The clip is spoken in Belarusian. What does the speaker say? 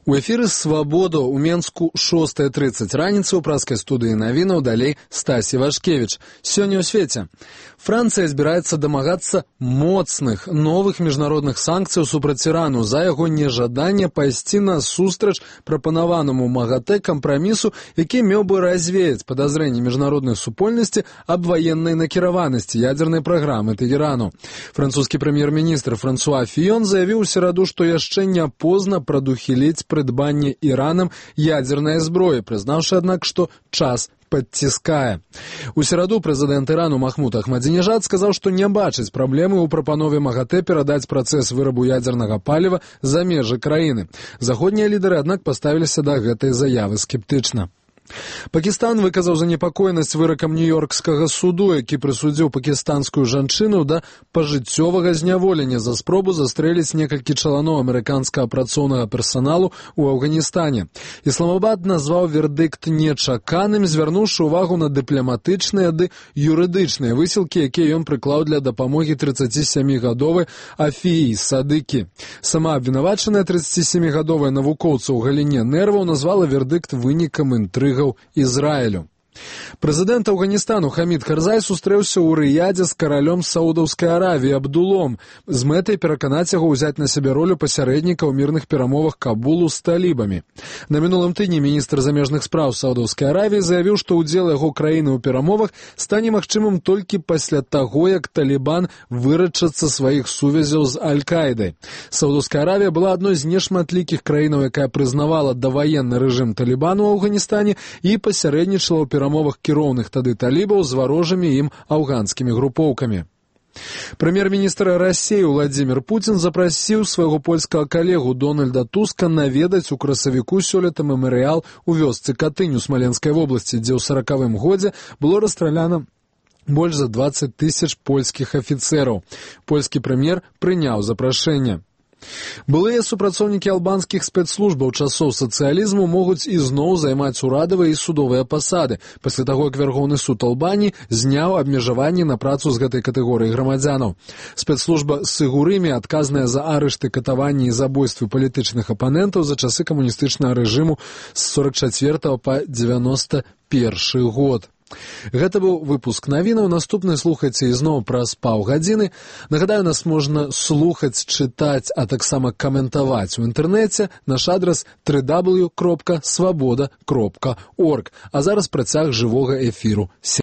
У эфіры «Свабода» у Менску 6:30 раніцы ў праскай студыі навінаў, далей Стасі Вашкевіч. Сёння ў свеце. Францыя збіраецца дамагацца моцных новых міжнародных санкцый супраць Ірану за яго нежаданне пайсці насустрач прапанаванаму МАГАТЭ кампрамісу, які меў бы развеяць падазрэнні міжнароднай супольнасці аб ваеннай накіраванасці ядзернай праграмы Тэгерану. Французскі прэм'ер-міністр Франсуа Фіён заявіў у сераду, што яшчэ не позна прадухіліць прыдбанне Іранам ядзернай зброі, прызнаўшы, аднак, што час падціскае. У сераду прэзідэнт Ірану Махмуд Ахмадзінежад сказаў, што не бачыць праблемы ў прапанове МАГАТЭ перадаць працэс вырабу ядзернага паліва за межы краіны. Заходнія лідары, аднак, паставіліся да гэтай заявы скептычна. Пакістан выказаў занепакоенасць выракам нью-йоркскага суду, які прысудзіў пакістанскую жанчыну да пажыццёвага зняволення за спробу застрэліць некалькі чаланоў амерыканскага працоўнага персаналу ў Афганістане. Ісламабад назваў вердыкт нечаканым, звярнуўшы ўвагу на дыпламатычныя ды юрыдычныя высілкі, якія ён прыклаў для дапамогі 37-гадовай Афіі Садыкі. Сама абвінавачаная 37-гадовая навукоўца ў галіне нерваў назвала вердыкт вынікам інтрыг Ізраілю. Прэзідэнт Афганістану Хамід Карзай сустрэўся ў Рыядзе з каралём Саудаўскай Аравіі Абдулом з мэтай пераканаць яго ўзяць на сябе ролю пасярэдніка ў мірных перамовах Кабулу з талібамі. На мінулым тыдні міністр замежных спраў Саудаўскай Аравіі заявіў, што ўдзел яго краіны ў перамовах стане магчымым толькі пасля таго, як Талібан вырачацца сваіх сувязяў з Аль-Каідай. Саудаўская Аравія была адной з нешматлікіх краінаў, якая прызнавала даваенны рэжым Талібану ў Афганістане і пасярэднічала ў перамовах кіроўных тады талібаў з варожымі ім афганскімі групоўкамі. Прэм'ер-міністр Расіі Владзімір Пуцін запрасіў свайго польскага калегу Дональда Туска наведаць у красавіку сёлета мемарыял у вёсцы Катынь у Смаленскай вобласці, дзе ў 40-м годзе было расстраляна больш за 20 000 польскіх афіцэраў. Польскі прэм'ер прыняў запрашэнне. Былыя супрацоўнікі албанскіх спецслужбаў часоў сацыялізму могуць ізноў займаць урадавыя і судовыя пасады, пасля таго, як Вярхоўны суд Албаніі зняў абмежаванні на працу з гэтай катэгорыі грамадзянаў. Спецслужба Сыгурымі, адказная за арышты, катаванні і забойствы палітычных апанентаў за часы камуністычнага рэжыму з 44 па 91 год. Гэта быў выпуск навінаў. Наступны слухайце ізноў праз паўгадзіны. Нагадаю, нас можна слухаць, чытаць, а таксама каментаваць у інтэрнэце. Наш адрас www.swaboda.org. А зараз працяг жывога эфіру.